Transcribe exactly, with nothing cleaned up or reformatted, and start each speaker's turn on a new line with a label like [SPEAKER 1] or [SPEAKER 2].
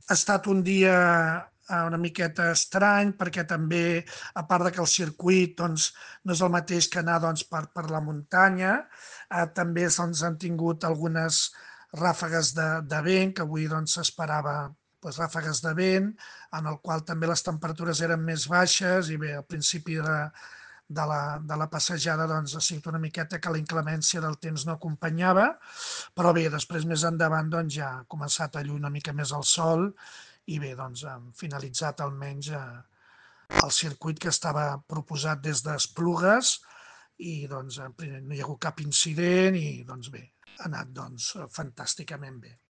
[SPEAKER 1] Ha estat un dia eh, una miqueta estrany perquè també, a part de que el circuit doncs, no és el mateix que anar doncs, per, per la muntanya, eh, també doncs, han tingut algunes ràfegues de, de vent, que avui doncs, s'esperava doncs, ràfegues de vent, en el qual també les temperatures eren més baixes i bé, al principi de, de la, de la passejada doncs, ha sigut una miqueta que la inclemència del temps no acompanyava, però bé, després més endavant doncs, ja ha començat a lluir una mica més el sol i bé, doncs hem finalitzat almenys eh, el circuit que estava proposat des d'Esplugues i doncs no hi ha hagut cap incident i doncs bé, ha anat doncs fantàsticament bé.